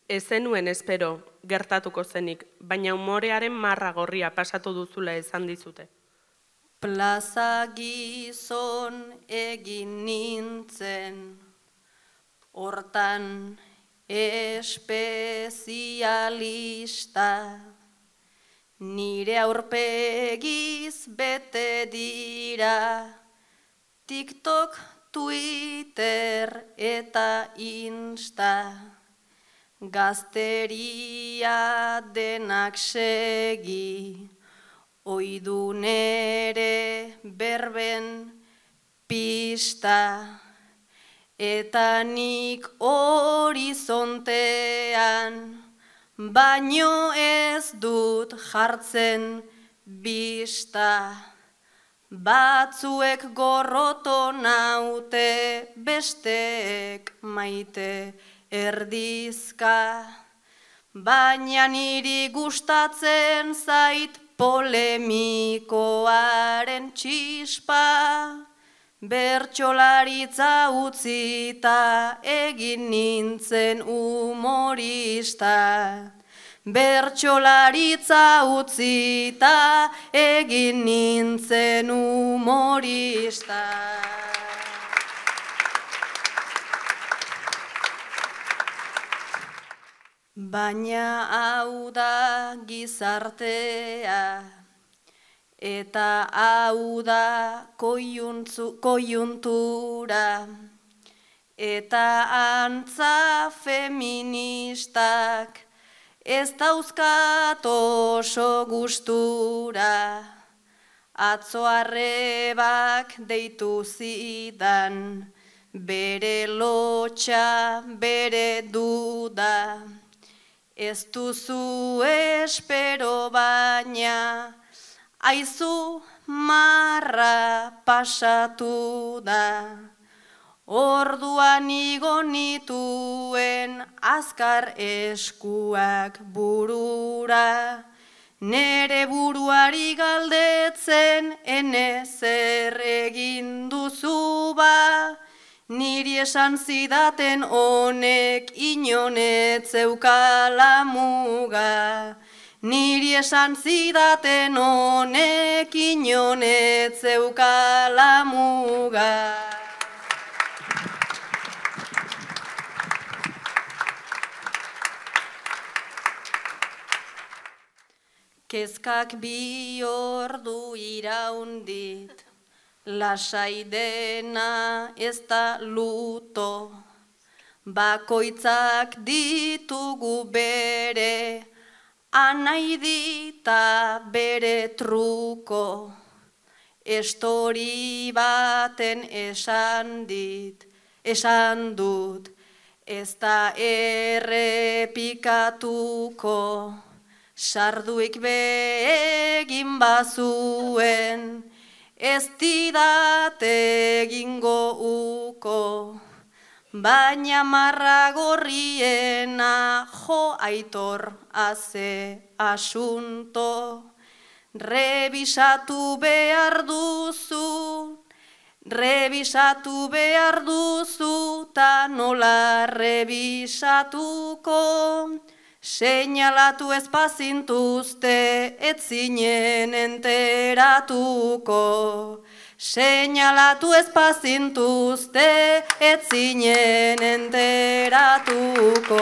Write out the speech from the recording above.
Ez zenuen espero gertatuko zenik, baina umorearen marra gorria pasatu duzula esan dizute. Plaza gizon egin nintzen, hortan espezialista, nire aurpegiz bete dira, TikTok, Twitter eta Insta, gazteria denak segi, oidu nere berben pista, eta nik horizontean, baino ez dut jartzen bista. Batzuek gorroto naute, besteek maite erdizka, baina niri gustatzen zait polemikoaren txispa, bertsolaritza utzita egin nintzen humorista. Bertsolaritza utzita egin nintzen humorista. Baina hau da gizartea, eta hau da koiuntura, eta antza feministak ez dauzkat oso gustura. Atzo arrebak deitu zidan, bere lotxa, bere duda. Ez duzu espero baina, aizu marra pasatu da. Orduan igo nituen azkar eskuak burura, nere buruari galdetzen ene zer egin duzu ba, niri esan zidaten honek inonetzeukala muga. Niri esan zidaten honek inonetzeukala muga. Kezkak bi ordu iraundit, lasai dena ez da luto, bakoitzak ditugu bere, anaidita bere truko, estori baten esan dut, ez da errepikatuko, sarduik begin bazuen, ez didate egingo uko, baina marra gorriena jo aitor haze asunto. Rebisatu behar duzu, ta nola rebisatuko. Seinalatu ez bazintuzte, ez zinen enteratuko. Seinalatu ez bazintuzte, ez zinen enteratuko.